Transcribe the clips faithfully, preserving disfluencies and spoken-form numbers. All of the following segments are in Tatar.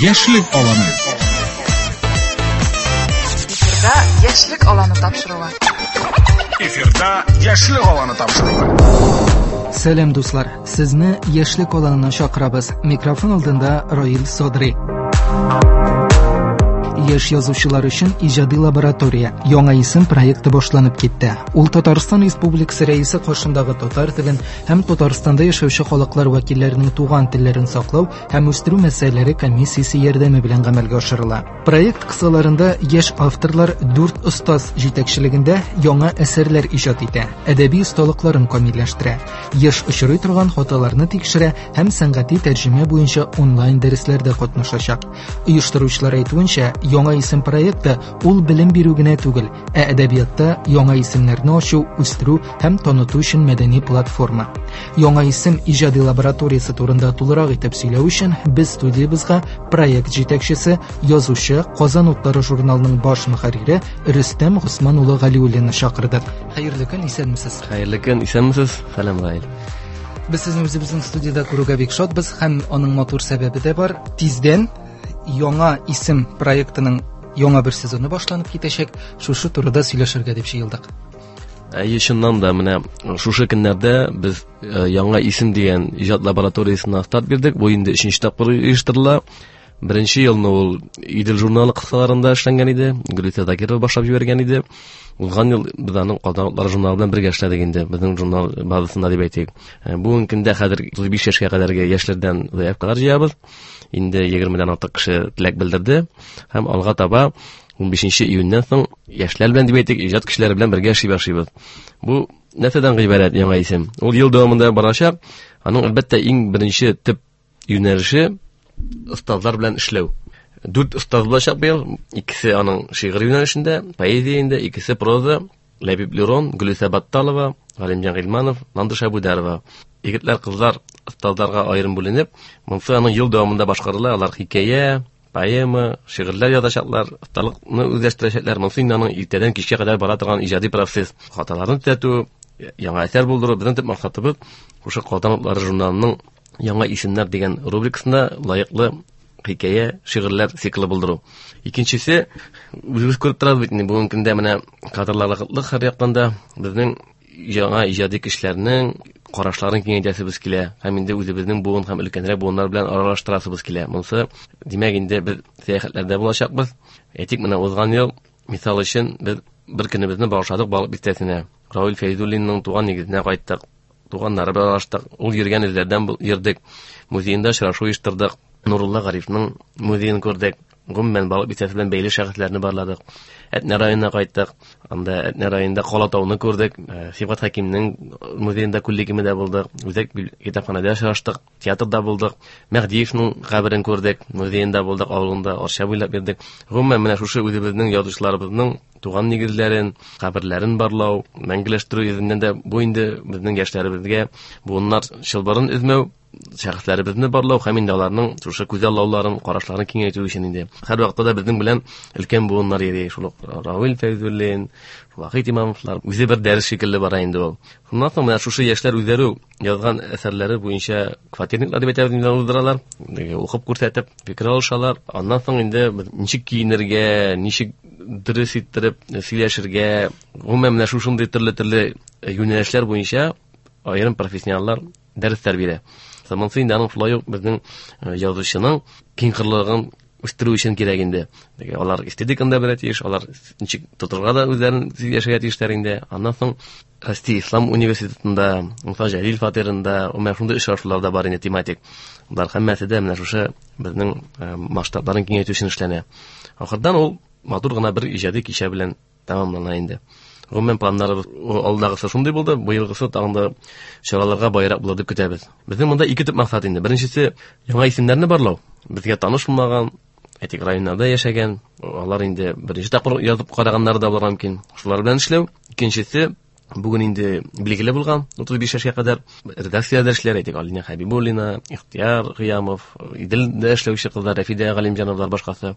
Яшьлек аланы. Эфирда Яшьлек аланы тапшыруы. Эфирда Яшьлек аланы тапшыруы. Сәлам, дуслар! Сезне Яшьлек аланына чакырабыз. Микрофон алдында Раил Садри. Яшь язучылар өчен иҗади лаборатория «Яңа исем» проекты башланып китте. Ул Татарстан Республикасы Рәисе каршындагы татар телен һәм Татарстанда яшәүче халыклар вәкилләренең туган телләрен саклау һәм үстерү мәсьәләләре комиссиясе ярдәме белән гамәлгә ашырыла. Проект кысаларында яшь авторлар дүрт остаз җитәкчелегендә яңа әсәрләр иҗат итә, әдәби осталыкларын камилләштерә, еш очрый торган хаталарны тикшерә һәм сәнгати тәрҗемә буенча онлайн дәресләрдә катнашачак. Оештыручылар әйтүенчә, «Яңа исем» проекты ул белем бирү генә түгел, ә әдәбиятта яңа исемнәрне ачу, үстерү һәм таныту өчен мәдәни платформа. «Яңа исем» иҗади лабораториясе турында тулырак итеп сөйләү өчен без студиябезгә проект җитәкчесе, язучы, Казан утлары журналының баш мөхәррире Рөстәм Госман улы Галиуллинны чакырдык. Хәерле көн, исәнмесез. Хәерле көн, исәнмесез. Сәлам, Раил. Без сезне үзебезнең студиядә күрүгә бик шатбыз һәм аның матур сәбәбе дә бар. Тиздән «Яңа исем» проектының яңа бер сезоны башланып китәчәк. Шушы турыда сөйләшергә дип җыелдык. Әйе, чыннан да менә шушы көннәрдә без «Яңа исем» дигән иҗат лабораториясенә старт бирдек. Бу инде өченче тапкыр оештырыла. Беренче елны ул Идел журналы кысаларында эшләнгән иде. Гөлүсә Закирова башлап җибәргән иде. Узган ел без аның Казан утлары журналы белән бергә эшләдек инде. Безнең журнал базасында дип әйтик. Бүгенге көндә хәзер утыз биш яшькә кадәрге яшьләрдән заявкалар җыябыз. Инде егермедән артык кеше теләк белдерде. Һәм алга таба ун бишенче июньнән соң яшьләр белән дип әйтик, иҗат кешеләре белән бергә эшли башлыйбыз. Бу нәрсәдән гыйбарәт яңа исем? Ул ел дәвамында барачак. Аның әлбәттә иң беренче төп юнәлеше остазлар белән эшләү. Дүрт остаз булачак быел. Икесе аның шигырь юнәлешендә, поэзия инде, икесе проза. Ләбиб Лерон, Гөлүсә Батталова, Галимҗан Гыйльманов, Ландыш Әбүдәрова. Егетләр, кызлар остазларга аерым бүленеп, монысы аның ел дәвамында башкарыла. Алар хикәя, поэма, шигырьләр язачаклар, осталыкны үзләштерәчәкләр. Монысы инде аның иртәдән кичкә кадәр бара торган иҗади процесс. Хаталарны төзәтү, яңа әсәр булдыру. Безнең төп максатыбыз шушы Казан утлары журналының «Яңа исемнәр» дигән рубрикасында лаеклы хикәя, шигырьләр циклы булдыру. Икенчесе, үзебез күреп торабыз бит инде, бүгенге көндә менә кадрлар кытлык һәр яктан да безнең яңа иҗади кешеләрнең карашларын киңәйтәсебез килә һәм инде үзебезнең буын һәм өлкәнрәк буыннар белән аралаштырасыбыз килә. Монысы, димәк, инде без сәяхәтләрдә булачакбыз. Әйтик, менә узган ел, мисал өчен, без бер көнебезне багышладык Балык Бистәсенә. Равил Фәйзуллинның туган нигезенә кайттык. Туганнары белән аралаштык. Ул йөргән эзләрдән йөрдек. Музеенда очрашу оештырдык. Нурулла Гарифның музеен күрдек. Гомумән, Балык Бистәсе белән бәйле шәхесләрне барладык. Әтнә районына кайттык. Анда Әтнә районында Калатауны күрдек. Сибгат Хәкимнең музеенда күллегемедә булдык. Үзәк китапханәдә очраштык. Театрда булдык. Мәһдиевнең каберен күрдек. Музеенда булдык, авылында Арча буйлап йөрдек. Гомумән, менә шушы үзебезнең язучыларыбызның туган нигезләрен, каберләрен барлау, мәңгеләштерү йөзеннән дә бу инде безнең яшьләребезгә буыннар чылбырын өзмәү, шәхесләребезне барлау һәм инде аларның шушы күзаллауларын, карашларын киңәйтү өчен инде. Һәр вакытта да безнең белән өлкән буыннар йөри, шул ук Равил Фәйзуллин, Вахит Имамовлар, үзе бер дәрес шикелле бара инде ул. Шуннан соң менә шушы яшьләр үзләре язган әсәрләре буенча квартирниклар дип әйтәбез инде, уздыралар, укып күрсәтеп, фикер алышалар. Аннан соң инде ничек киенергә, ничек дөрес иттереп сөйләшергә, гомумән менә шушындый төрле-төрле юнәлешләр буенча аерым профессионаллар дәресләр бирә. Монысы инде аның шулай ук безнең язучының киңкырлыгын үстерү өчен кирәк инде. Алар эстетиканы да белә тиеш, алар ничек тотырга да үзләрен яшәргә тиешләр инде. Аннан соң Россия Ислам университетында, Муса Җәлил фатирында, менә шундый очрашулар да бар инде тематик. Болар һәммәсе дә менә шушы безнең масштабларын киңәйтү өчен эшләнә. Ахырдан ул матур гына бер иҗади кичә белән тәмамлана инде. Гомумән планнарыбыз алдагысы шундый булды, быелгысы тагын да чараларга байрак булыр дип көтәбез. Безнең монда ике төп максат инде. Беренчесе, яңа исемнәрне барлау. Безгә таныш булмаган, әйтик, районнарда яшәгән, алар инде беренче тапкыр язып караганнар да булырга мөмкин. Шулар белән эшләү. Икенчесе, бүген инде билгеле булган утыз биш яшькә кадәр редакциядә эшләр, әйтик, Алина Хәбибуллина, Ихтияр Кыямов, Иделдә эшләүче кызлар, Рәфидә Галимҗановлар, башкасы.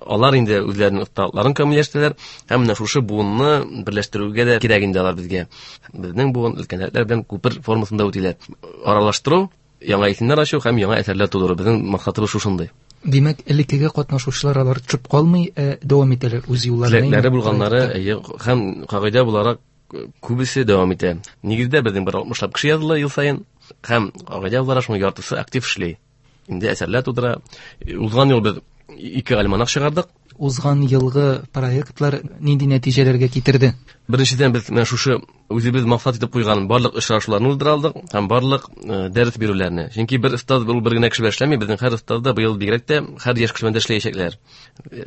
Алар инде үзләренең осталыкларын камилләштерәләр һәм менә шушы буынны берләштерүгә дә кирәк инде алар безгә. Безнең буын өлкәннәр белән күпер формасында үтиләр. Аралаштыру, яңа исемнәр ачу һәм яңа әсәрләр тудыру. Безнең максатыбыз шушындый. Димәк, элеккеге катнашучылар алар төшеп калмый, ә дәвам итәләр үз юлларына. Теләкләре булганнары, әйе, һәм кагыйдә буларак күбесе дәвам итә. Нигездә безнең бер алтмышлап кеше языла ел саен, һәм кагыйдә буларак шуның яртысы актив эшли. Инде әсәрләр тудыра. Узган ел без ике альманах чыгардык. Узган елгы проектлар нинди нәтиҗәләргә китерде? Беренчедән, без менә шушы үзебез максат итеп куйган барлык очрашуларны уздыра алдык һәм барлык э, дәрес бирүләрне. Чөнки бер остаз ул бер генә кеше белән эшләми, безнең һәр остаз да быел бигрәк тә һәр яшь кеше белән дә эшләячәкләр.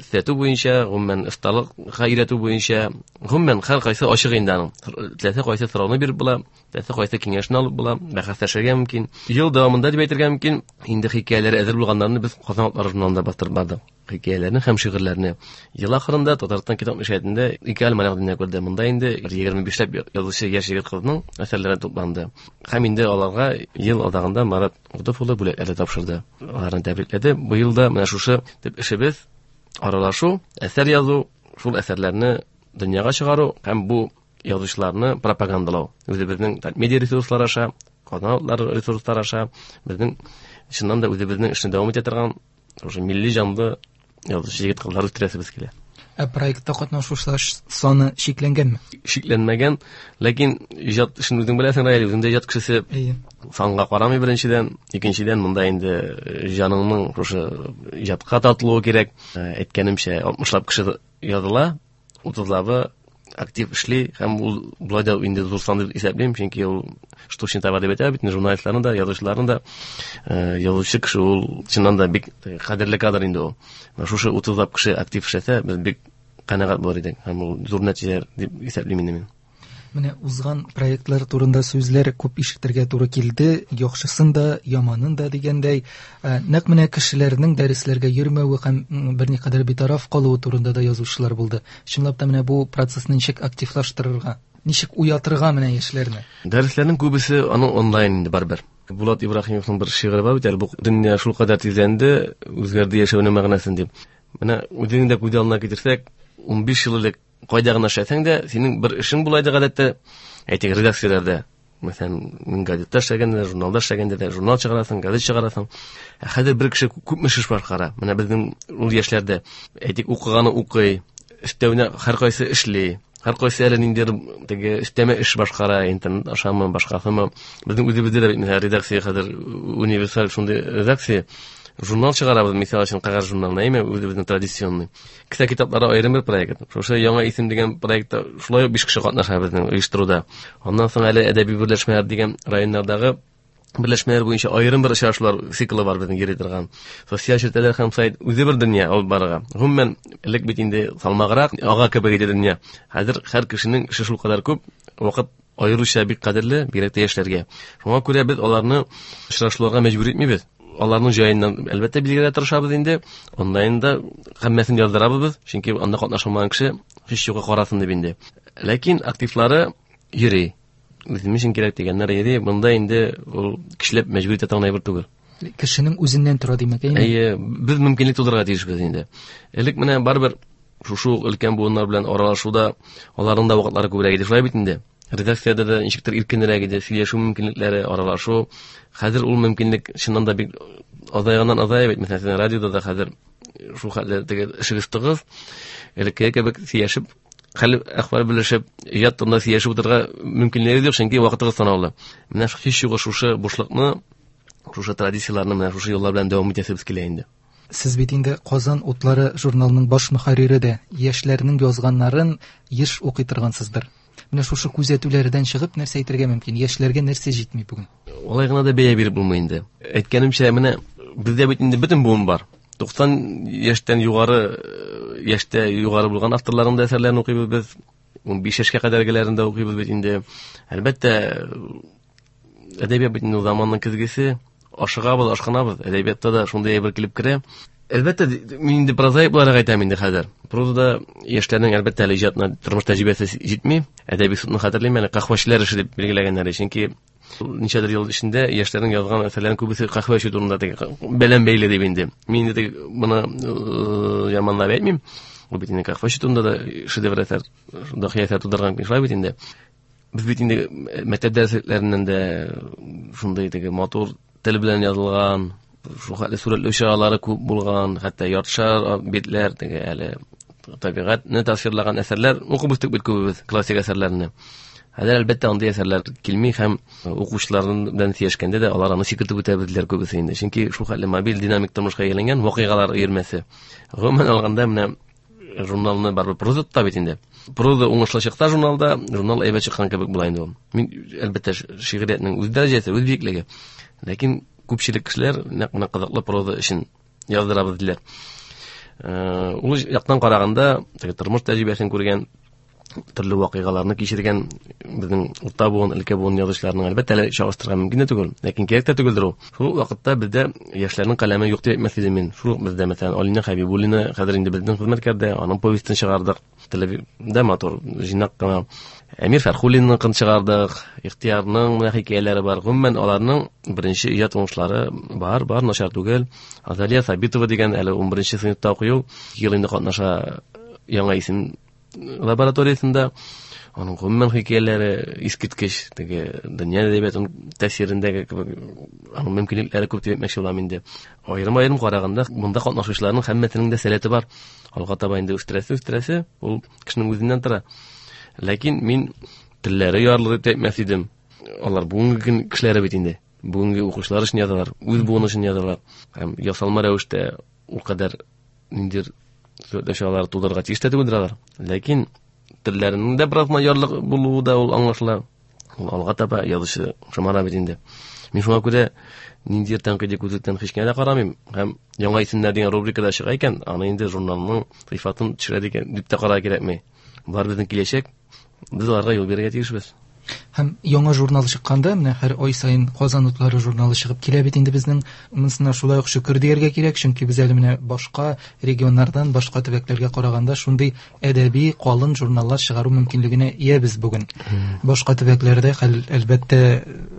Эшләтү буенча, гомумән осталыкка өйрәтү буенча, гомумән һәр кайсы ачык инде аның. Теләсә кайсы сорауны биреп була, теләсә кайсы киңәшне алып була, бәхәсләшергә мөмкин. Ел дәвамында дип әйтергә мөмкин, инде хикәяләре әзер булганнарны без Казан утлары журналында бастырып бардык. Хикәяләрне һәм шигырьләрне. Ел ахырында Татарстан китап нәшриятында ике альманах дөнья күрде. Монда инде егерме бишләп язучы яшь егет кызның әсәрләре тупланды. Һәм инде аларга ел азагында Марат Готыф улы бүләкләр тапшырды. Аларны тәбрикләде. Быел да менә шушы төп эшебез аралашу, әсәр язу, шул әсәрләрне дөньяга чыгару һәм бу язучыларны пропагандалау. Үзебезнең медиа ресурслар аша, Казан утлары ресурслар аша безнең чыннан да үзебезнең эшне дәвам итә торган шушы милли җанлы язучы егет кызлар үстерәсебез килә. Ә проектта катнашучылар саны чикләнгәнме? Чикләнмәгән, ләкин иҗат эшен үзең беләсең, Раил, үзең дә иҗат кешесе. Әйе. Санга карамый беренчедән, икенчедән монда инде җаныңның шушы иҗатка тартылуы кирәк. Әйткәнемчә, алтмышлап кеше языла, утызлабы актив эшли һәм ул болай да инде зур сан дип исәплим, чөнки ул штучный товар дип әйтә бит, журналистларны да, язучыларны да, э, язучы кеше ул чыннан да бик кадерле кадр инде ул. Менә шушы утызлап кеше актив эшләсә, без бик канәгать булыр идек һәм ул зур нәтиҗәләр дип исәплим инде мин. Менә узган проектлар турында сүзләр күп ишетергә туры килде, яхшысын да, яманын да дигәндәй, э, нәкъ менә кешеләрнең дәресләргә йөрмәве һәм, м, берникадәр битараф калуы турында да язучылар булды. Чынлап та менә бу процессны ничек активлаштырырга, ничек уятырга менә яшьләрне? Дәресләрнең күбесе аның онлайн инде барыбер. Булат Ибраһимовның бер шигыре бар бит әле, бу дөнья шулкадәр тизләнде, үзгәрде яшәүнең мәгънәсен дип. Менә үзеңне дә күз алдына китерсәк, унбиш ел элек кайда гына эшләсәң дә, синең бер эшең була иде гадәттә, әйтик, редакцияләрдә. Мәсәлән, мин газетта эшләгәндә, журналда эшләгәндә дә журнал чыгарасың, газет чыгарасың. Ә хәзер бер кеше күпме эш башкара. Менә безнең ул яшьләрдә, әйтик, укыганы укый, өстәвенә һәркайсы эшли, һәркайсы әле ниндидер теге өстәмә эш башкара, интернет ашамы, башкасымы. Безнең үзебездә дә бит, мәсәлән, редакция хәзер универсаль шундый редакция. Журнал чыгарабыз, мисал өчен, кәгазь журнал, әйме, үзебезнең традиционный. Кесә китаплары аерым бер проект. Шушы Яңа исем дигән проектта шулай ук биш кеше катнаша безнең оештыруда. Аннан соң әле әдәби берләшмәләр дигән районнардагы берләшмәләр буенча аерым бер очрашулар циклы бар безнең йөри торган. Социаль челтәрләр һәм сайт үзе бер дөнья алып барырга. Гомумән, элек бит инде салмаграк, ага кебек иде дөнья. Хәзер һәр кешенең эше шулкадәр күп, вакыт аеруча бик кадерле, бигрәк тә яшьләргә. Шуңа күрә без аларны очрашуларга мәҗбүр итмибез. Аларның җаеннан әлбәттә билгеләргә тырышабыз инде. Онлайнда һәммәсен яздырабыз без, чөнки анда катнаша алмаган кеше һич югы карасын дип инде. Ләкин активлары йөри. Үзем өчен кирәк дигәннәр йөри. Монда инде ул кешеләр мәҗбүр итә торган әйбер түгел. Кешенең үзеннән тора димәк, әйеме? Әйе, без мөмкинлек тудырырга тиешбез инде. Элек менә барыбер шушы ук өлкән буыннар белән аралашуда аларның да вакытлары күбрәк иде. Шулай бит инде. Редакциядә дә ничектер иркенрәк иде, сөйләшү мөмкинлекләре, аралашу. Хәзер ул мөмкинлек чыннан да бик азайганнан азая бит. Мәсәлән, радиода да хәзер шул хәтле теге эшегез тыгыз. Элеккеге кебек сөйләшеп, хәл әхвәл белешеп, иҗат турында сөйләшеп утырырга мөмкинлеге юк, чөнки вакытыгыз санаулы. Менә һич югы шушы бушлыкны, шушы традицияләрне менә шушы юллар белән дәвам итәсебез килә инде. Сез бит инде Казан утлары журналының баш мөхәррире дә, яшьләрнең язганнарын еш укый торгансыздыр. Менә шушы күзәтүләрдән чыгып нәрсә әйтергә мөмкин? Яшьләргә нәрсә җитми бүген? Алай гына да бәя биреп булмый инде. Әйткәнемчә, менә бездә бит инде бөтен буын бар. Туксан яшьтән югары, яшьтә югары булган авторларның да әсәрләрен укыйбыз без. Унбиш яшькә кадәргеләрен дә укыйбыз бит инде. Әлбәттә, әдәбият бит инде заманның көзгесе. Ашыгабыз, ашкынабыз. Әдәбиятта да шундый әйбер килеп керә. Әлбәттә, мин инде прозаик буларак әйтәм инде хәзер. Прозада яшьләрнең әлбәттә әле иҗатына тормыш тәҗрибәсе җитми. Әдәби судны хәтерлим, әле каһвәчеләр эше дип билгеләгәннәр, чөнки ничәдер ел эчендә яшьләрнең язган әсәрләренең күбесе каһвә эчү турында теге белән бәйле дип инде. Мин инде теге моны, э, яманлап әйтмим. Ул бит инде каһвә эчү турында да шедевр әсәр, дахи әсәр тудырган шулай бит инде. Без бит инде мәктәп дәресләреннән дә шундый теге матур тел белән язылган, Шул хәтле сурәтләү чаралары күп булган, хәтта яртышар битләр теге әле табигатьне тасвирлаган әсәрләр укып үстек бит күбебез, классик әсәрләрне. Хәзер әлбәттә андый әсәрләр килми һәм укучылар белән сөйләшкәндә дә алар аны сикертеп үтә белделәр күбесе инде. Чөнки шул хәтле мобиль динамик тормышка әйләнгән вакыйгалар өермәсе. Гомумән алганда менә журналны барыбер проза тота бит инде. Проза уңышлы чыкса журналда, журнал әйбәт чыккан кебек була инде ул. Мин әлбәттә шигъриятнең үз дәрәҗәсе, үз биеклеге. Ләкин күпчелек кешеләр нәкъ менә кызыклы проза өчен яздырабыз диләр. Э, ул яктан караганда, теге тормыш тәҗрибәсен күргән, төрле вакыйгаларны кичергән безнең урта буын, өлкә буын язучыларның әлбәттә әле чагыштырырга мөмкин дә түгел, ләкин кирәк тә түгелдер ул. Шул вакытта бездә яшьләрнең каләме юк дип әйтмәс идем мин. Шул ук бездә, мәсәлән, Алина Хәбибуллина хәзер инде безнең хезмәткәрдә, аның повестен чыгардык. Теле дә матур, җыйнак кына. Әмир Фәрхуллинныкын чыгардык, Ихтиярның менә хикәяләре бар. Гомумән, аларның беренче иҗат уңышлары бар, бар, начар түгел. Азалия Сабитова дигән әле унберенче сыйныфта укый ул, ел инде катнаша яңа исем лабораториясендә. Аның гомумән хикәяләре искиткеч, теге дөнья әдәбиятының тәэсирендәге кебек, аның мөмкинлекләре күп дип әйтмәкче булам инде. Аерым-аерым караганда, монда катнашучыларның һәммәсенең дә сәләте бар. Алга таба инде үстерәсе, үстерәсе, ул кешенең үзеннән тора. Ләкин мин телләре ярлы дип әйтмәс идем. Алар бүгенге көн кешеләре бит инде. Бүгенге укучылар өчен язалар, үз буыны өчен язалар. Һәм ясалма рәвештә ул кадәр ниндидер сурәтләү чаралары тудырырга тиеш тә түгелдер алар. Ләкин телләренең дә бераз ярлык булуы да ул аңлашыла. Ул алга таба язучы шомара бит инде. Мин шуңа күрә ниндидер тәнкыйди күзлектән һич кенә дә карамыйм. Һәм яңа исемнәр дигән рубрикада чыга икән, аны инде журналның сыйфатын төшерә дигән дип тә карарга кирәкми. Болар безнең киләчәк, без аларга юл бирергә тиешбез. Һәм яңа журнал чыкканда, менә һәр ай саен Казан утлары журналы чыгып килә бит инде безнең. Монысына шулай ук шөкер дияргә кирәк, чөнки без әле менә башка регионнардан, башка төбәкләргә караганда шундый әдәби калын журналлар чыгару мөмкинлегенә иябез бүген. Башка төбәкләрдә хәл әлбәттә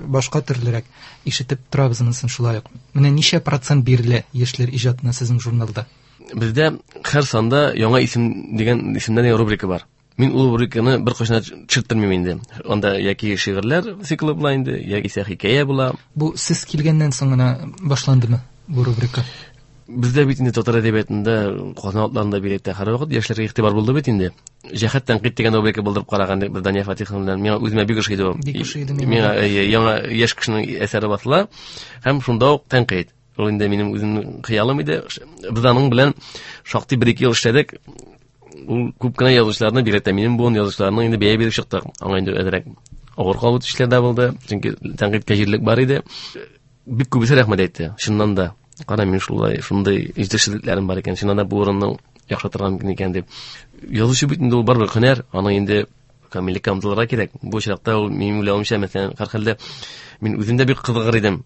башка төрлерәк, ишетеп торабыз монысын шулай ук. Менә ничә процент бирелә яшьләр иҗатына сезнең журналда? Бездә һәр санда яңа исем дигән исемнән дигән рубрика бар. Мин ул рубриканы бер кайчан төшертмим инде. Анда яки шигырьләр циклы була инде, яки хикәя була. Бу сез килгәннән соң гына башландымы бу рубрика? Бездә бит инде татар әдәбиятында, Казан утларында бигрәк тә һәрвакыт яшьләргә игътибар булды бит инде. Җәһәт тәнкыйть дигән рубрика булдырып караган идек без Дания Фатиховна белән. Миңа үземә бик ошый иде ул. Бик ошый иде миңа. Миңа, әйе, яңа яшь кешенең әсәре басыла һәм шунда ук тәнкыйть. Ул инде минем үземнең хыялым иде. Без аның белән шактый бер-ике ел эшләдек. Ул күп кенә язучыларны, бигрәк тә минем буын язучыларның инде бәя биреп чыктык. Аңа инде әзрәк авыр кабул итүчеләр дә булды, чөнки тәнкыйтькә җирлек бар иде. Бик күбесе рәхмәт әйтте. Чыннан да, кара мин шулай, шундый җитешсезлекләрем бар икән, чыннан да бу урынны яхшыртырга мөмкин икән дип. Язучы бит инде ул барыбер һөнәр, аның инде камиллеккә омтылырга кирәк. Бу очракта ул минем уйлавымча, мәсәлән, һәрхәлдә мин үзем дә бик кызыгыр идем.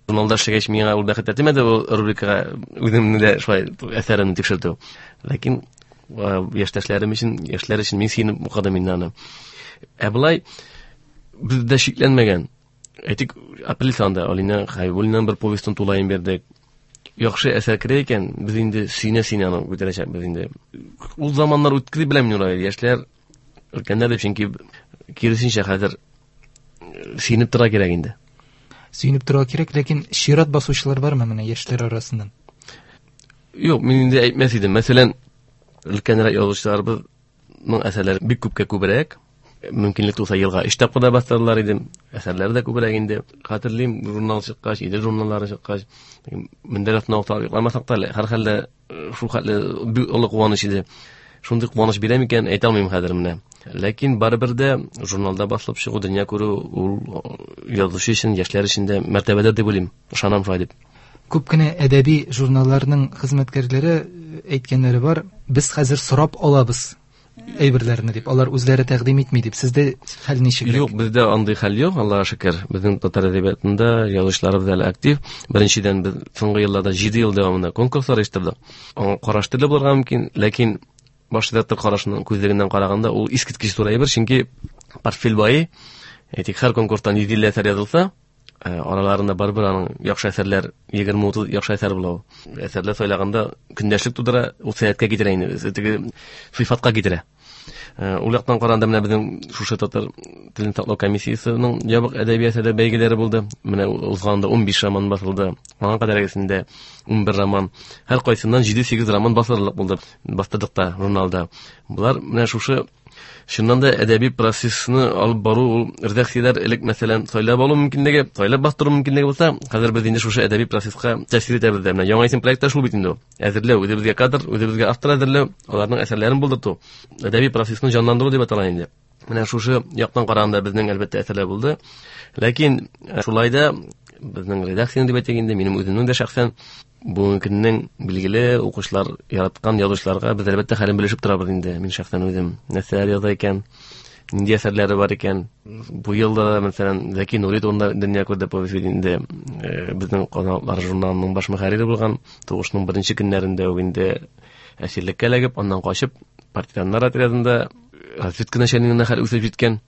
Журналда эшләгәч, миңа ул бәхет тәтемәде ул рубрикага үземне дә шулай әсәремне тикшертү. Ләкин яшьтәшләрем өчен, яшьләр өчен мин сөенеп укыдым инде аны. Ә болай бездә шикләнмәгән. Әйтик, апрель санда Алина Хәбибуллинаның бер повестен тулаем бирдек. Яхшы әсәр керә икән, без инде сөенә-сөенә аны күтәрәчәкбез инде. Ул заманнар үтте дип беләм мин ул, яшьләр, өлкәннәр дип, чөнки киресенчә хәзер сөенеп тора кирәк инде. Сөенеп тора кирәк, ләкин чират басучылар бармы менә яшьләр арасыннан? Юк, мин инде әйтмәс идем. Мәсәлән, өлкәнрәк язучыларыбызның әсәрләре бик күпкә күбрәк. Мөмкинлек туса елга өч тапкыр да бастыралар иде. Әсәрләре дә күбрәк инде. Хәтерлим, журнал чыккач, Идел журналлары чыккач, мендәр астына утырып йокламасак та, һәрхәлдә шул хәтле бик олы куаныч иде. Шундый куаныч бирә микән, әйтә алмыйм хәзер менә. Ләкин барыбер дә журналда басылып чыгу, дөнья күрү ул язучы өчен, яшьләр өчен дә мәртәбәдер дип уйлыйм. Ышанам шулай дип. Күп кенә әдәби журналларның хезмәткәрләре әйткәннәре бар, без хәзер сорап алабыз әйберләрне дип, алар үзләре тәкъдим итми дип. Сездә хәл ничегрәк? Юк, бездә андый хәл юк, Аллаһка шөкер. Безнең татар әдәбиятында язучыларыбыз әле актив. Беренчедән, без соңгы елларда җиде ел дәвамында конкурслар оештырдык. Аңа караш төрле булырга мөмкин, ләкин баш редактор карашының күзлегеннән караганда ул искиткеч зур әйбер, чөнки портфель бай, әйтик, һәр конкурстан йөз илле әсәр язылса, араларында барыбер аның яхшы әсәрләр, егерме утыз яхшы әсәр була ул. Әсәрләр сайлаганда көндәшлек тудыра, ул сәяхәткә китерә инде, теге сыйфатка китерә. Ул яктан караганда менә безнең шушы татар телен саклау комиссиясенең ябык әдәби әсәрләр бәйгеләре булды. Менә узганда ун биш роман басылды. Аңа кадәргесендә ун бер роман. Һәр кайсыннан җиде-сигез роман басылырлык булды. Бастырдык та журналда. Булар менә шушы чыннан да әдәби процессны алып бару, ул редакцияләр элек мәсәлән сайлап алу мөмкинлеге, сайлап бастыру мөмкинлеге булса, хәзер без инде шушы әдәби процесска тәэсир итәбез дә. Менә Яңа исем проекты шул бит инде ул. Әзерләү, үзебезгә кадр, үзебезгә автор әзерләү, аларның әсәрләрен булдырту, әдәби процессны җанландыру дип атала инде. Менә шушы яктан караганда безнең әлбәттә әсәрләр булды. Ләкин шулай да безнең редакциянең дип әйтик инде, минем үземнең дә шәхсән бүгенге көннең билгеле укучылар яраткан язучыларга без әлбәттә хәлен белешеп торабыз инде. Мин шәхсән үзем нәрсәләр яза икән, нинди әсәрләре бар икән. Бу елда да, мәсәлән, Зәки Нури турында дөнья күрде повесть инде, безнең Казан журналының баш мөхәррире булган, сугышның беренче көннәрендә үк инде әсирлеккә эләгеп, аннан качып, партизаннар отрядында разведка начальнигына хәл үсеп җиткән.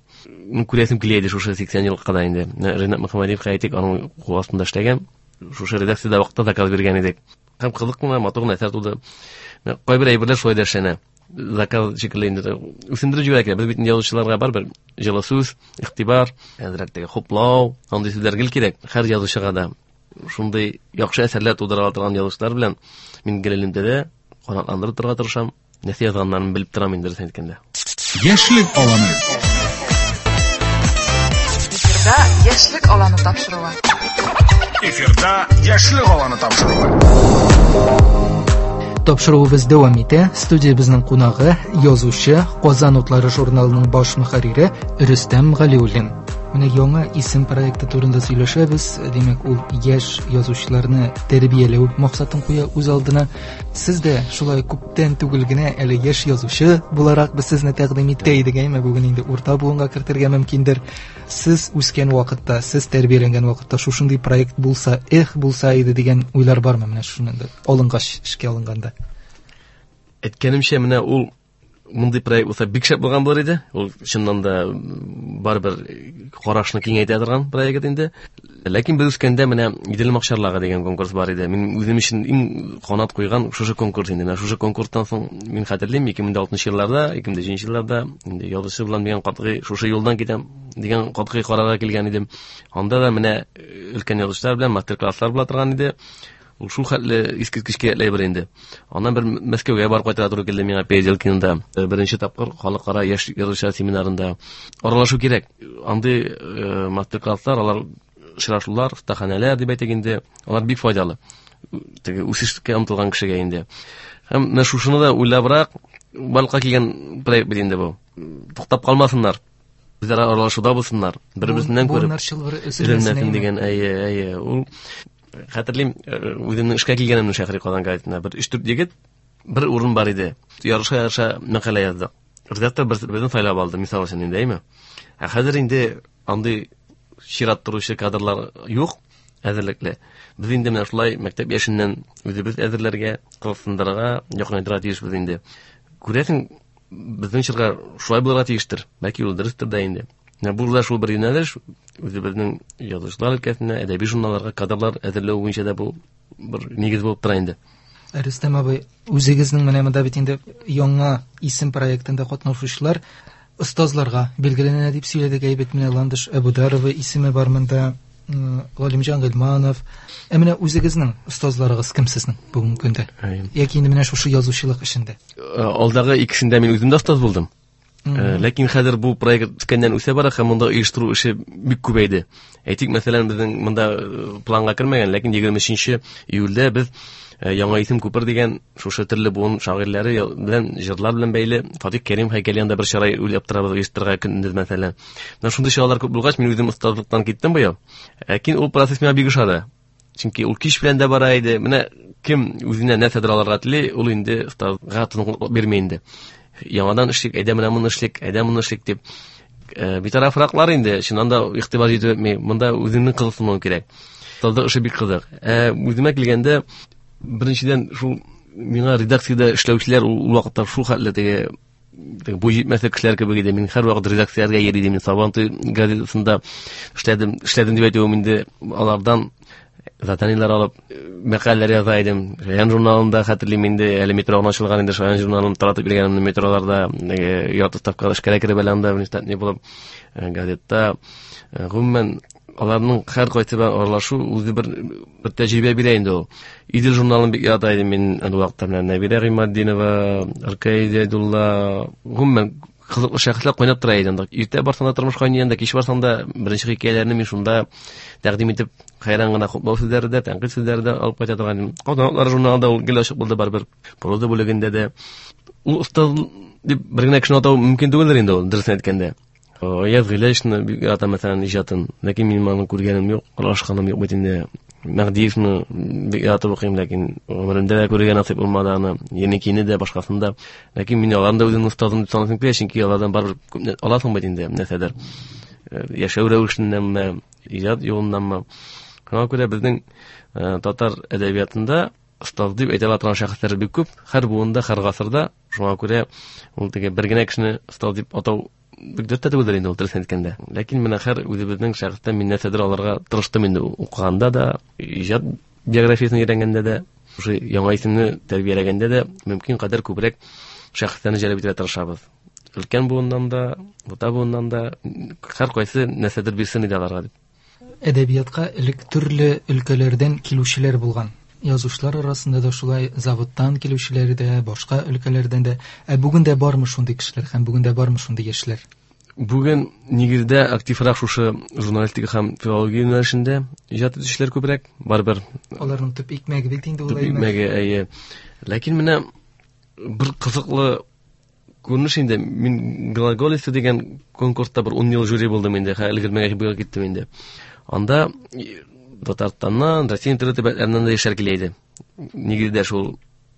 Күрәсем килә иде шушы сиксән елга да инде. Ринат Мөхәммәдиевка әйтик, аның кул астында эшләгән. Шушы редакциядә вакытта заказ биргән идек. Һәм кызык кына, матур гына әсәр туды. Кайбер әйберләр шулай да эшләнә. Заказ шикелле инде үсендереп җибәрә кирәк. Без бит язучыларга барыбер җылы сүз, игътибар, әзрәк теге хуплау, андый сүзләр гел кирәк. Һәр язучыга да шундый яхшы әсәрләр тудыра ала торган язучылар белән мин гел элемтәдә, канатландырып торырга тырышам. Нәрсә язганнарын белеп торам инде, дөресен әйткәндә. Яшьлек аланы. Эфирда Яшьлек аланы тапшыруы. Эфирда Яшьлек аланы тапшыруы. Тапшыруыбыз дәвам итә. Студиябезнең кунагы, язучы, Казан утлары журналының баш мөхәррире Рөстәм Галиуллин. Менә яңа исем проекты турында сөйләшәбез. Димәк, ул яшь язучыларны тәрбияләү максатын куя үз алдына. Сез дә шулай күптән түгел генә әле яшь язучы буларак без сезне тәкъдим итә идек, әйме? Бүген инде урта буынга кертергә мөмкиндер. Сез үскән вакытта, сез тәрбияләнгән вакытта шушындый проект булса, эх, булса иде дигән уйлар бармы менә шуны алынгач, эшкә алынганда? Әйткәнемчә, менә ул мондый проект булса бик шәп булган булыр иде. Ул чыннан да барыбер карашны киңәйтә торган проект инде. Ләкин без үскәндә менә Идел макчарлагы дигән конкурс бар иде. Мин үзем өчен иң канат куйган шушы конкурс инде. Менә шушы конкурстан соң мин хәтерлим, ике мең дә алтынчы елларда, ике мең дә җиденче елларда инде язучы булам дигән катгый шушы юлдан китәм дигән катгый карарга килгән идем. Анда да менә өлкән язучылар белән мастер-класслар була торган иде. Ул шул хәтле искиткеч кирәкле бер инде. Аннан бер Мәскәүгә барып кайтырга туры килде миңа Переделкинода. Беренче тапкыр халыкара яшь язучылар семинарында аралашу кирәк. Андый, э, мастер-класслар, алар очрашулар, остаханәләр дип әйтик инде, алар бик файдалы. Теге үсешкә омтылган кешегә инде. Һәм менә шушыны да уйлабрак барлыкка килгән проект бит инде бу. Туктап калмасыннар. Үзара аралашуда булсыннар. Бер-берсеннән күреп. Буыннар чылбыры өзелмәсен, Өзелмәсен әйеме? дигән, әйе, әйе. Ул хәтерлим, үземнең эшкә килгәнемне Шәһри Казан газетына бер өч-дүрт егет бер урын бар иде. Ярыша-ярыша мәкалә яздык. Редактор бер безне сайлап алды, мисал өчен инде, әйме? Ә хәзер инде андый чират торучы кадрлар юк, әзерлекле. Без инде менә шулай мәктәп яшеннән үзебез әзерләргә, кызыксындырырга, якынайтырга тиешбез инде. Күрәсең, безнең чорга шулай булырга тиештер. Бәлки ул дөрестер дә инде. Менә бу да шул бер юнәлеш, үзебезнең язучылар өлкәсенә, әдәби журналларга кадрлар әзерләү буенча да бу бер нигез булып тора инде. Рөстәм абый, үзегезнең менә монда бит инде яңа исем проектында катнашучылар остазларга билгеләнә дип сөйләдек, әйбәт менә Ландыш Әбүдарова исеме бар монда, м, Галимҗан Гыйльманов. Ә менә үзегезнең остазларыгыз кем сезнең бүгенге көндә? Әйе. Яки инде менә шушы язучылык эшендә? Э, алдагы икесендә мин үзем дә остаз булдым. Мгм. Э, ләкин хәзер бу проект үскәннән үсә бара һәм монда оештыру эше бик күбәйде. Әйтик, мәсәлән, безнең монда, э, планга кермәгән, ләкин егерме өченче июльдә без, э, Яңа исем күпер дигән шушы төрле буын шагыйрьләре я-, белән җырлар белән бәйле Фатих Кәрим һәйкәле янында бер чара уйлап торабыз оештырырга көндез, мәсәлән. Менә шундый чаралар күп булгач, мин үзем остазлыктан киттем быел. Ләкин ул процесс миңа бик ошады. Чөнки ул кич белән дә бара иде. Менә кем үзенә нәрсәдер алырга тели, ул инде остазга тынгылык бирми инде. Яңадан эшлик, әйдә менә моны эшлик, әйдә моны эшлик дип. Э, битарафраклар инде, чыннан да игътибар җитеп бетми. Монда үзеңнең кызыксынуың кирәк. Остазлык эше бик кызык. Э, үземә килгәндә, беренчедән шул миңа редакциядә эшләүчеләр ул, ул вакытта шул хәтле теге, теге буй җитмәслек кешеләр кебек иде. Мин һәрвакыт редакцияләргә йөри идем. Мин Сабантуй газетасында эшләдем, эшләдем дип әйтүем инде алардан Заданиеләр алып, мәкаләләр яза идем. Шаян журналында хәтерлим инде, әле метро гына ачылган инде, Шаян журналын таратып йөргәнемне метроларда, ярты ставкада эшкә кереп әле анда внештатный булып, газетта. Гомумән, аларның һәркайсы белән аралашу үзе бер бер тәҗрибә бирә инде ул. Идел журналын бик ярата идем мин ул вакытта, менә Нәбирә Гыйматдинова, Аркадий Зәйдулла, гомумән кызыклы шәхесләр кайнап тора иде анда. Иртә барсаң да тормыш кайный анда, кич барсаң да беренче хикәяләрне мин шунда тәкъдим итеп, хәйран гына хуплау сүзләре дә, тәнкыйть сүзләре дә алып кайта торган идем. Казан журналында ул гел ачык булды барыбер. Проза бүлегендә дә. Ул остаз дип бер генә кешене атау мөмкин түгелдер инде ул, дөресен әйткәндә. Аяз Гыйләҗевны бик ярата, мәсәлән, иҗатын. Ләкин минем аны күргәнем юк, аралашканым юк бит инде. Мәһдиевны бик яратып укыйм, ләкин гомеремдә дә күрергә насыйп булмады аны. Еникине дә, башкасын да. Ләкин мин аларны да үземнең остазым дип саныйсым килә, чөнки алардан барыбер күп аласың бит инде, нәрсәдер. Яшәү рәвешеннәнме, иҗат юлыннанмы. Шуңа күрә безнең татар әдәбиятында остаз дип әйтә ала торган шәхесләр бик күп, һәр буында, һәр гасырда. Шуңа күрә ул теге бер генә кешене остаз дип атау бик дөрес тә түгелдер инде ул, дөресен әйткәндә. Ләкин менә һәр үзебезнең шәхестән мин нәрсәдер алырга тырыштым инде укыганда да, иҗат биографиясен өйрәнгәндә дә, шушы яңа исемне тәрбияләгәндә дә мөмкин кадәр күбрәк шәхесләрне җәлеп итәргә тырышабыз. Өлкән буыннан да, урта буыннан да һәркайсы нәрсәдер бирсен иде аларга дип. Әдәбиятка элек төрле өлкәләрдән килүчеләр булган. Язучылар арасында да шулай, заводтан килүчеләр дә, башка өлкәләрдән дә. Ә бүген дә бармы шундый кешеләр һәм бүген дә бармы шундый яшьләр? Бүген нигездә активрак шушы журналистика һәм филология юнәлешендә иҗат итүчеләр күбрәк, барыбер. Аларның төп икмәге бит инде ул. Төп икмәге, әйе. Ләкин менә бер кызыклы күренеш инде. Мин Глаголица дигән конкурста бер ун ел жюри булдым инде, хәзер өлгермәгәч быел киттем инде. Анда Татарстаннан, Россиянең төрле төбәкләреннән дә яшьләр килә иде. Нигездә шул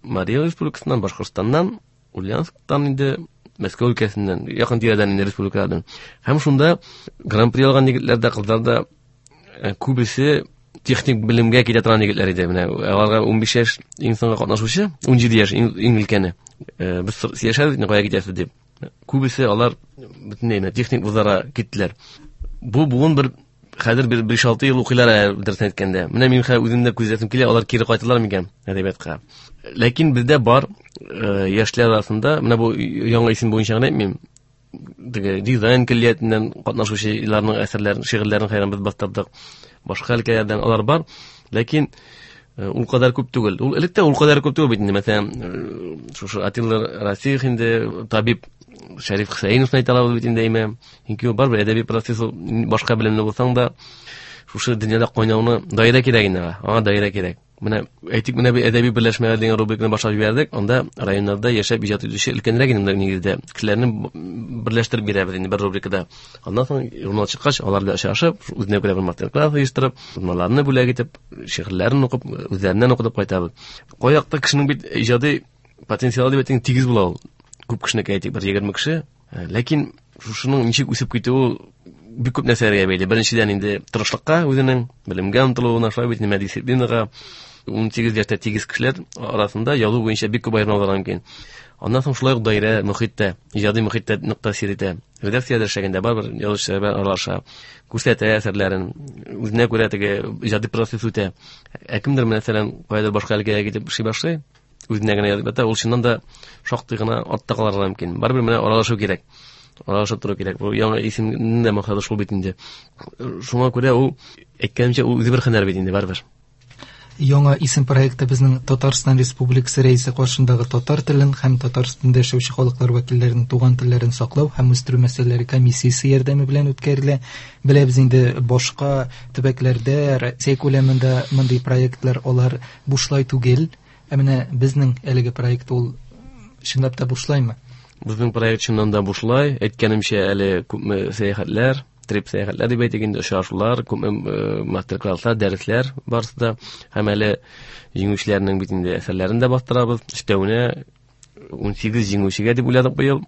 Марий Республикасыннан, Башкортстаннан, Ульяновсктан инде, Мәскәү өлкәсеннән, якын тирәдән инде республикалардан. Һәм шунда гран-при алган егетләр дә, кызлар да күбесе техник белемгә китә торган егетләр иде. Менә аларга унбиш яшь иң соңгы катнашучы, унҗиде яшь иң өлкәне. Без сөйләшәбез, кая китәсез дип. Күбесе алар бөтенләй техник вузларга киттеләр. Бу буын бер хәзер бер биш-алты ел укыйлар, дөресен әйткәндә. Менә мин хәзер үзем дә күзәтәсем килә, алар кире кайталар микән әдәбиятка. Ләкин бездә бар яшьләр арасында, менә бу яңа исем буенча гына әйтмим, теге дизайн көллиятеннән катнашучыларның әсәрләрен, шигырьләрен хәйран без бастырдык. Башка өлкәләрдән алар бар, ләкин ул кадәр күп түгел. Ул элек тә ул кадәр күп түгел бит инде. Мәсәлән, шушы Атилла Расих инде, табиб Шәриф Хөсәеновны әйтә алабыз бит инде, әйме. Чөнки ул барыбер әдәби процесс, башка белемле булсаң да, шушы дөньяда кайнауны даирә кирәк инде аңа, аңа даирә кирәк. Менә әйтик, менә бер әдәби берләшмәләр дигән рубриканы башлап җибәрдек. Анда районнарда яшәп иҗат итүче өлкәнрәк инде нигездә кешеләрне берләштереп бирәбез инде бер рубрикада. Аннан соң журнал чыккач, алар белән очрашып, үзенә күрә бер мастер-класс оештырып, журналларны бүләк итеп, шигырьләрен укып, үзләреннән укытып кайтабыз. Каякта кешенең бит иҗади потенциалы дип әйтсәң тигез була ул. Күп кешенеке әйтик, бер егерме кеше. Ләкин шушының ничек үсеп китүе бик күп нәрсәләргә бәйле. Беренчедән инде тырышлыкка, үзенең белемгә омтылуына, шулай бит инде дисциплинага. ун сигез яшьтә тигез кешеләр арасында язу буенча бик күп аермалар мөмкин. Аннан соң шулай ук даирә, мөхиттә, иҗади мөхиттә нык тәэсир итә. Редакциядә эшләгәндә барыбер язучылар белән аралаша, күрсәтә әсәрләрен, үзенә күрә теге иҗади процесс үтә. Ә кемдер, мәсәлән, каядыр башка өлкәгә китеп эшли башлый, үзенә генә язып ята, ул чыннан да шактый гына артта калырга мөмкин. Барыбер менә аралашу кирәк. Аралашып тору кирәк. Бу яңа исемнең дә максаты шул бит инде. Шуңа күрә ул, әйткәнемчә, ул үзе бер һөнәр бит инде барыбер. Яңа исем проекты безнең Татарстан Республикасы Рәисе каршындагы татар телен һәм Татарстанда яшәүче халыклар вәкилләренең туган телләрен саклау һәм үстерү мәсьәләләре комиссиясе ярдәме белән үткәрелә. Беләбез инде, башка төбәкләрдә, Россия күләмендә мондый проектлар алар бушлай түгел. Ә менә безнең әлеге проект ул чынлап та бушлаймы? Безнең проект чыннан да бушлай. Әйткәнемчә, әле күпме сәяхәтләр, трип сәяхәтләр дип әйтик инде, очрашулар, күпме мастер-класслар, дәресләр барысы да. Һәм әле җиңүчеләрнең бит инде әсәрләрен дә бастырабыз. Өстәвенә ун сигез җиңүчегә дип уйладык быел.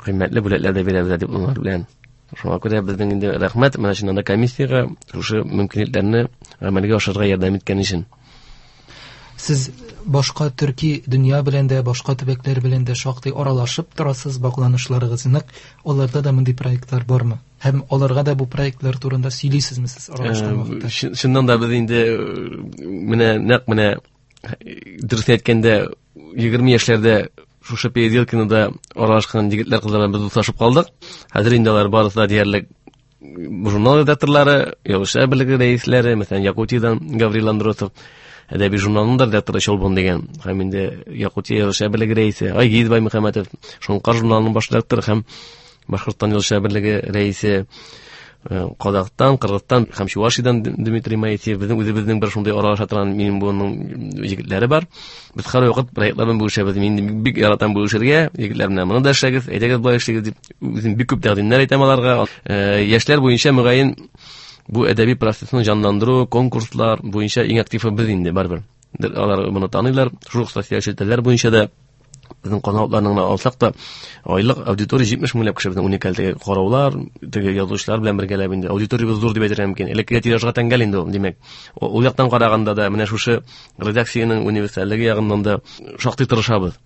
Кыйммәтле бүләкләр дә бирәбез дипломнар белән. Шуңа күрә безнең инде рәхмәт менә чыннан да комиссиягә шушы мөмкинлекләрне гамәлгә ашырырга ярдәм иткән өчен. Сез башка төрки дөнья белән дә, башка төбәкләр белән дә шактый аралашып торасыз, багланышларыгыз нык. Аларда да мондый проектлар бармы? Һәм аларга да бу проектлар турында сөйлисезме сез аралашкан вакытта? Чыннан да без инде менә нәкъ менә дөрес әйткәндә егерме яшьләрдә шушы Переделкинода аралашкан егетләр кызлар белән без дуслашып калдык. Хәзер инде алар барысы да диярлек журнал редакторлары, Язучылар берлеге рәисләре, мәсәлән, Якутиядән Гаврил Андросов, әдәби журналының да редакторы Чолбон дигән, һәм инде Якутия Язучылар берлеге рәисе Айгиз Баймөхәммәтов, Шоңкар журналының баш редакторы һәм Башкортстан Язучылар берлеге рәисе, Казахстан, Кыргызстан һәм Чувашиядән Дмитрий Моисеев, безнең үзебезнең бер шундый аралаша торган минем буынның егетләре бар. Без һәрвакыт проектлар белән бүлешәбез. Мин бик яратам бүлешергә. Егетләр белән моны да эшләгез, әйдәгез болай эшләгез дип үзем бик күп тәкъдимнәр әйтәм аларга. Яшьләр буенча мөгаен бу әдәби процессны җанландыру, конкурслар буенча иң активы без инде барыбер. Алар моны таныйлар. Шул ук социаль челтәрләр буенча да безнең каналларны гына алсак та, айлык аудитория җитмеш меңләп кеше безнең уникаль теге караулар, теге язучылар белән бергәләп инде аудиториябез зур дип әйтергә мөмкин. Элеккеге тиражга тәңгәл инде ул, димәк. Ул яктан караганда да менә шушы редакциянең универсальлеге ягыннан да шактый тырышабыз.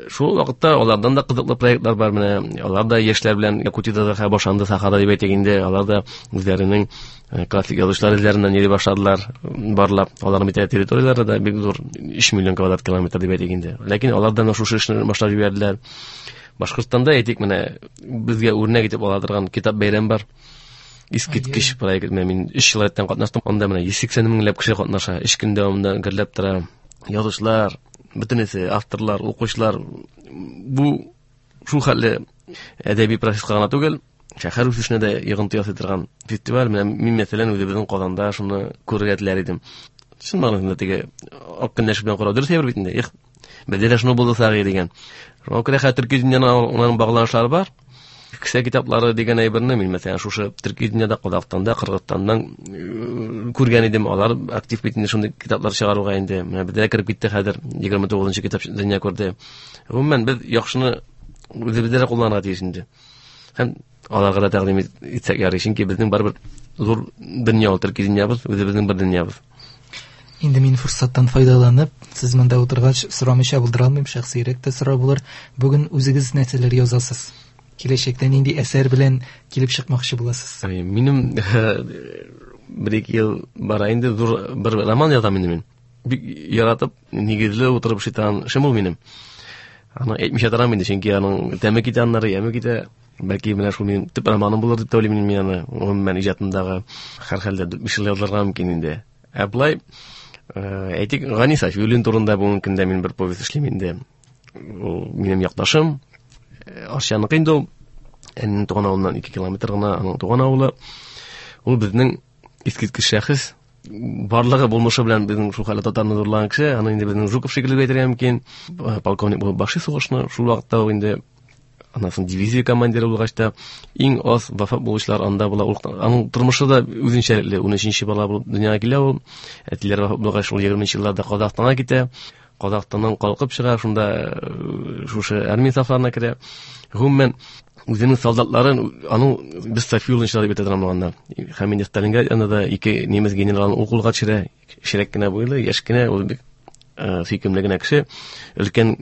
Шул вакытта алардан да кызыклы проектлар бар, менә алар да яшьләр белән Якутиядә да башланды сахада дип әйтик инде, алар да үзләренең классик язучылар эзләреннән йөри башладылар, барлап. Аларның бит территорияләре дә бик зур, өч миллион квадрат километр дип әйтик инде. Ләкин алардан шушы эшне башлап җибәрделәр. Башкортстанда әйтик, менә безгә үрнәк итеп ала торган китап бәйрәм бар. Искиткеч проект. Менә мин өч ел рәттән катнаштым. Анда менә йөз сиксән меңләп кеше катнаша. Өч көн дәвамында гөрләп тора. Язучылар, бөтенесе, авторлар, укучылар. Бу шул хәтле әдәби процесска гына түгел, шәһәр үсешенә дә йогынты ясый торган фестиваль. Менә мин мәсәлән үзебезнең Казанда шуны күрергә теләр идем. Чын мәгънәсендә теге ак көнләшү белән карау дөрес әйбер бит инде. Их, бездә дә шуны булдырсак дигән. Шуңа күрә хәзер төрки дөньяның аның багланышлары бар. Кесә китаплары дигән әйберне мин мәсәлән шушы төрки дөньяда, Казахстанда, Кыргызстаннан күргән идем. Алар актив бит инде шундый китаплар чыгаруга инде. Менә бездә кереп китте хәзер егерме тугызынчы китап дөнья күрде. Гомумән без яхшыны үзебездә дә кулланырга тиеш инде. Һәм аларга да тәкъдим итсәк ярый, чөнки безнең барыбер зур дөнья ул, төрки дөньябыз, үзебезнең бер дөньябыз. Инде мин форсаттан файдаланып, сез монда утыргач сорамыйча булдыра алмыйм, шәхсирәк тә сорау булыр. Бүген үзегез нәрсәләр язасыз? Киләчәктә нинди әсәр белән килеп чыкмакчы буласыз? Минем бер ике ел бара инде зур бер роман язам инде мин. Бик яратып, нигезле утырып шайтан эшем ул минем. Аны әйтмичә торам инде, чөнки аның тәме китә, аннары яме китә. Бәлки менә шул минем төп романым булыр дип тә уйлыйм мин аны. Гомумән иҗатымдагы һәр хәлдә дүрт биш ел язылырга мөмкин инде. Ә болай, әйтик, Гани Сафиуллин турында бүгенге көндә мин бер повесть эшлим инде. Ул минем якташым, Арчаныкы инде ул. Әнинең туган авылыннан ике километр гына аның туган авылы. Ул безнең искиткеч шәхес. Барлыгы булмышы белән безнең шул хәлле татарны зурлаган кеше. Аны инде безнең Жуков шикелле дип әйтергә мөмкин. Полковник булып башлый сугышны. Шул вакытта ук инде аннан соң дивизия командиры булгач та иң аз вафат булучылар анда була. Ул аның тормышы да үзенчәлекле. Ун өченче бала булып дөньяга килә ул. Әтиләре вафат булгач, ул егерменче елларда Казахстанга китә. Казахстаннан калкып чыга, шунда шушы армия сафларына керә. Гомумән үзенең солдатларын, аның без Сафиуллинчылар дип әйтә торган булганнар. Һәм инде Сталинград янында да ике немец генералын ул кулга төшерә. Кечерәк кенә буйлы, яшь кенә, ул бик сөйкемле генә кеше. Өлкән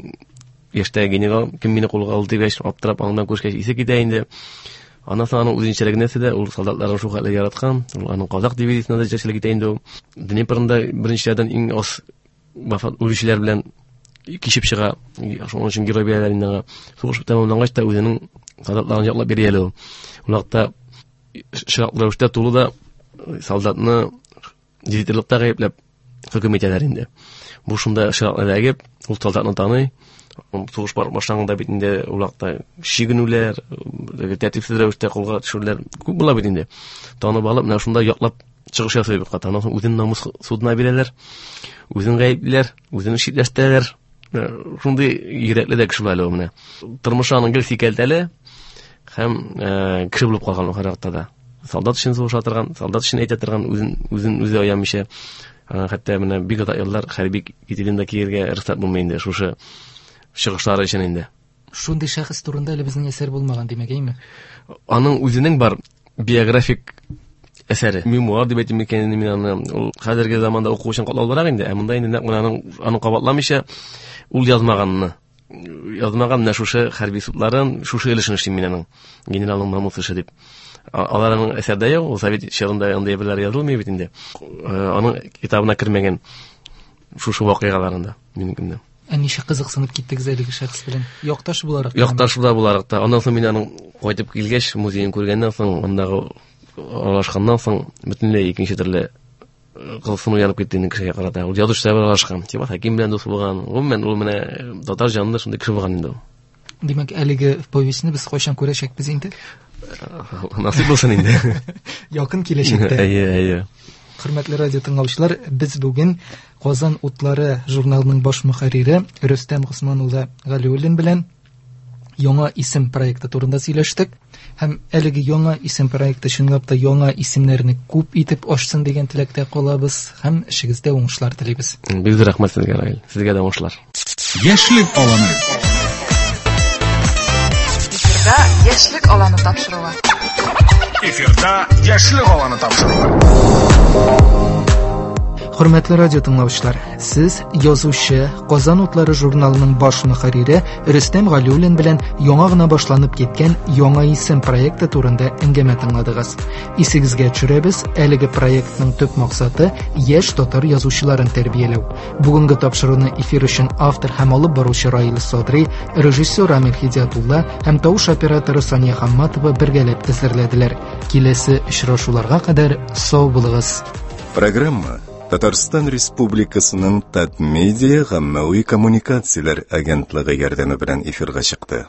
яшьтәге генерал кем мине кулга алды дигәч, аптырап аңдан күрешкәч исе китә инде. Аннан соң аның үзенчәлеге нәрсә дә, ул солдатларын шул хәтле яраткан. Ул аның казак дивизиясендә дә җитәкчелек итә инде ул. Днепрында беренчеләрдән иң аз вафат үлүчеләр белән кичеп чыга. Шуның өчен герой бирәләр инде аңа. Сугыш тәмамлангач та үзенең солдатларын яклап бирә әле ул. Ул вакытта чиратлы рәвештә тулы да солдатны дезертирлыкта гаепләп хөкем итәләр инде. Бу шунда чиратлы эләгеп, ул солдатны таный. Сугыш башланганда бит инде ул вакытта чигенүләр, тәртипсез рәвештә кулга төшүләр күп була бит инде. Танып алып, менә шунда яклап чыгыш ясый бит. Аннан соң үзен намус судына бирәләр, үзен гаеплиләр, үзен читләштерәләр. Шундый йөрәкле дә кеше була әле ул менә. Тормышы аның гел сикәлтәле һәм кеше булып калган ул һәрвакытта да. Солдат өчен сугыша торган, солдат өчен әйтә торган, үзен, үзен үзе аямыйча, хәтта менә бик озак еллар хәрби кителен дә киергә рөхсәт булмый инде шушы чыгышлары өчен инде. Шундый шәхес турында әле безнең әсәр булмаган, димәк, әйме? Аның үзенең бар биографик әсәре. Мемуар дип әйтим микән инде мин аны. Ул хәзерге заманда уку өчен катлаулырак инде. Ә монда инде нәкъ менә аның, аны кабатламыйча ул язмаганны, язмаган менә шушы хәрби судларын, шушы өлешен эшлим мин аның. Генералның намус эше дип. Алар аның әсәрдә юк, ул совет чорында андый әйберләр язылмый бит инде. Аның китабына кермәгән шушы вакыйгаларында минекендә. Ә ничек кызыксынып киттегез әлеге шәхес белән? Якташ буларак. Якташ буларак та. Аннан соң мин аның кайтып килгәч, музеен күргәннән соң, андагы аралашканнан соң бөтенләй икенче төрле кызыксыну янып китте инде кешегә карата. Ул язучылар белән аралашкан, Тимур Хәким белән дус булган. Гомумән, ул менә татар җанлы шундый кеше булган инде ул. Димәк, әлеге повестьны без кайчан күрәчәкбез инде? Насыйп булсын инде. Якын киләчәктә. Әйе, әйе. Хөрмәтле радио тыңлаучылар, без бүген Казан утлары журналының баш мөхәррире Рөстәм Госман улы Галиуллин белән Яңа исем проекты турында сөйләштек. Һәм әлеге яңа исем проекты чынлап та яңа исемнәрне күп итеп ачсын дигән теләктә калабыз һәм эшегездә уңышлар телибез. Бик зур рәхмәт сезгә, Раил. Сезгә дә уңышлар. Яшьлек аланы. Эфирда Яшьлек аланы тапшыруы. Эфирда Яшьлек аланы тапшыруы. Хөрмәтле радио тыңлаучылар, сез язучы, Казан утлары журналының баш мөхәррире Рөстәм Галиуллин белән яңа гына башланып киткән Яңа исем проекты турында әңгәмә тыңладыгыз. Исегезгә төшерәбез, әлеге проектның төп максаты яшь татар язучыларын тәрбияләү. Бүгенге тапшыруны эфир өчен автор һәм алып баручы Раил Садри, режиссер Рамил Хидиятулла һәм тавыш операторы Сания Хамматова бергәләп әзерләделәр. Киләсе очрашуларга кадәр сау булыгыз. Программа Татарстан Республикасының Татмедиа гаммәви коммуникацияләр агентлыгы ярдәме белән эфирга чыкты.